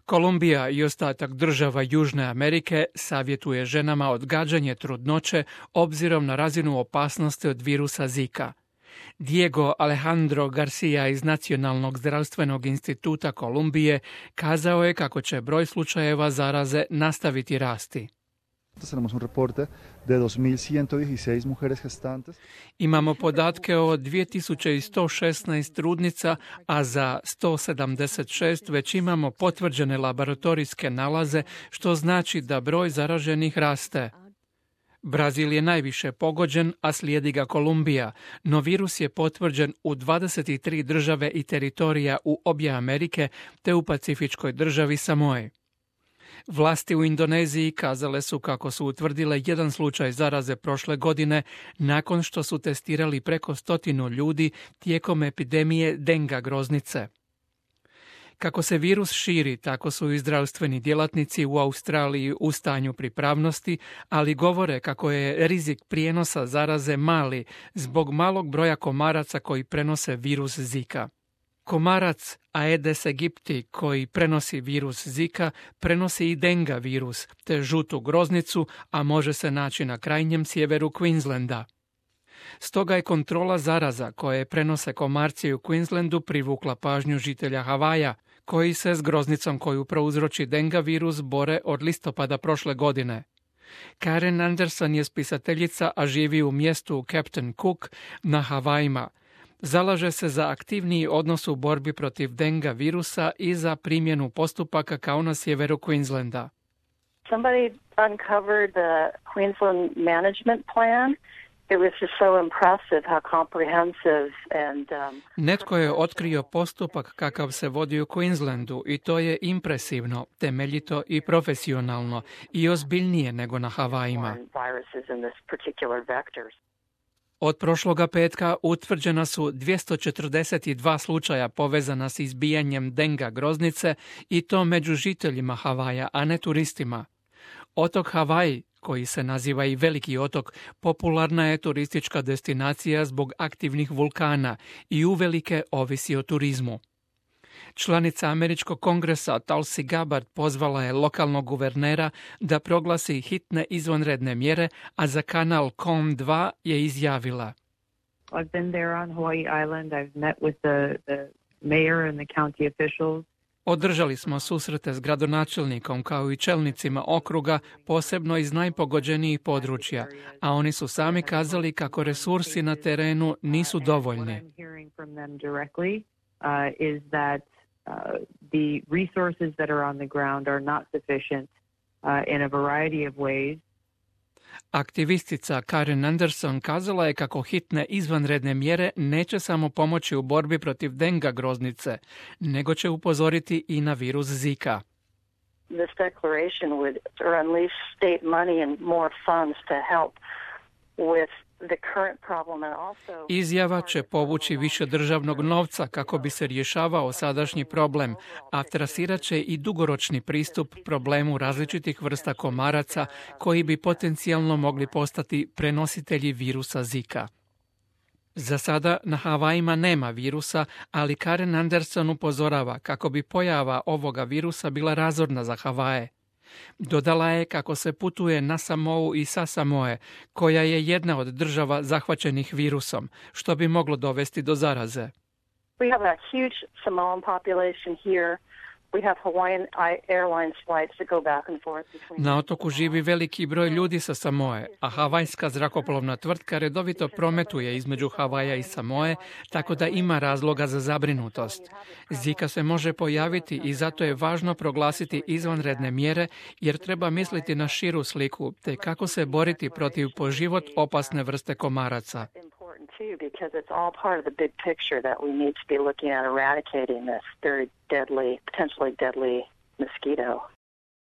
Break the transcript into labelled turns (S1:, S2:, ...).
S1: Kolumbija i ostatak država Južne Amerike savjetuje ženama odgađanje trudnoće obzirom na razinu opasnosti od virusa Zika. Diego Alejandro Garcia iz Nacionalnog zdravstvenog instituta Kolumbije kazao je kako će broj slučajeva zaraze nastaviti rasti. Imamo podatke o 2116 trudnica, a za 176 već imamo potvrđene laboratorijske nalaze, što znači da broj zaraženih raste. Brazil je najviše pogođen, a slijedi ga Kolumbija, no virus je potvrđen u 23 države i teritorija u obje Amerike te u pacifičkoj državi Samoe. Vlasti u Indoneziji kazale su kako su utvrdile jedan slučaj zaraze prošle godine nakon što su testirali preko 100 ljudi tijekom epidemije denga groznice. Kako se virus širi, tako su i zdravstveni djelatnici u Australiji u stanju pripravnosti, ali govore kako je rizik prijenosa zaraze mali zbog malog broja komaraca koji prenose virus Zika. Komarac Aedes aegypti koji prenosi virus Zika prenosi i denga virus te žutu groznicu, a može se naći na krajnjem sjeveru Queenslanda. Stoga je kontrola zaraza koje prenose komarci u Queenslandu privukla pažnju žitelja Havaja, koji se s groznicom koju prouzroči denga virus bore od listopada prošle godine. Karen Anderson je spisateljica, a živi u mjestu Captain Cook na Havajima. Zalaže se za aktivniji odnos u borbi protiv denga virusa i za primjenu postupaka kao na sjeveru Queenslanda.
S2: Somebody uncovered the Queensland management plan. It was just so impressive how comprehensive and
S1: Netko je otkrio postupak kakav se vodi u Queenslandu i to je impresivno, temeljito i profesionalno i ozbiljnije nego na Havajima. Od prošloga petka utvrđena su 242 slučaja povezana s izbijanjem denga groznice i to među žiteljima Havaja, a ne turistima. Otok Havaji, koji se naziva i Veliki otok, popularna je turistička destinacija zbog aktivnih vulkana i uvelike ovisi o turizmu. Članica Američkog kongresa Tulsi Gabbard pozvala je lokalnog guvernera da proglasi hitne izvanredne mjere, a za kanal KOM2 je izjavila:
S3: I've been there on Hawaii Island. I've met with the mayor and the county officials.
S1: Održali smo susrete s gradonačelnikom kao i čelnicima okruga, posebno iz najpogođenijih područja, a oni su sami kazali kako resursi na terenu nisu dovoljni.
S3: The resources that are on the ground are not sufficient in a variety of ways.
S1: Aktivistica Karen Anderson kazala je kako hitne izvanredne mjere neće samo pomoći u borbi protiv denga groznice, nego će upozoriti i na virus Zika.
S2: This declaration would unleash state money and more funds to help with the current problem and also...
S1: Izjava će povući više državnog novca kako bi se rješavao sadašnji problem, a trasirat će i dugoročni pristup problemu različitih vrsta komaraca koji bi potencijalno mogli postati prenositelji virusa Zika. Za sada na Havajima nema virusa, ali Karen Anderson upozorava kako bi pojava ovoga virusa bila razorna za Havaje. Dodala je kako se putuje na Samou i sa Samoe, koja je jedna od država zahvaćenih virusom, što bi moglo dovesti do zaraze.
S2: We have a huge Samoan population here. We have Hawaiian Airlines flights that go back and forth between...
S1: Na otoku živi veliki broj ljudi sa Samoe, a havajska zrakoplovna tvrtka redovito prometuje između Havaja i Samoe, tako da ima razloga za zabrinutost. Zika se može pojaviti i zato je važno proglasiti izvanredne mjere, jer treba misliti na širu sliku, te kako se boriti protiv po život opasne vrste komaraca.
S2: Too, because it's all part of the big picture that we need to be looking at eradicating this very deadly, potentially deadly mosquito.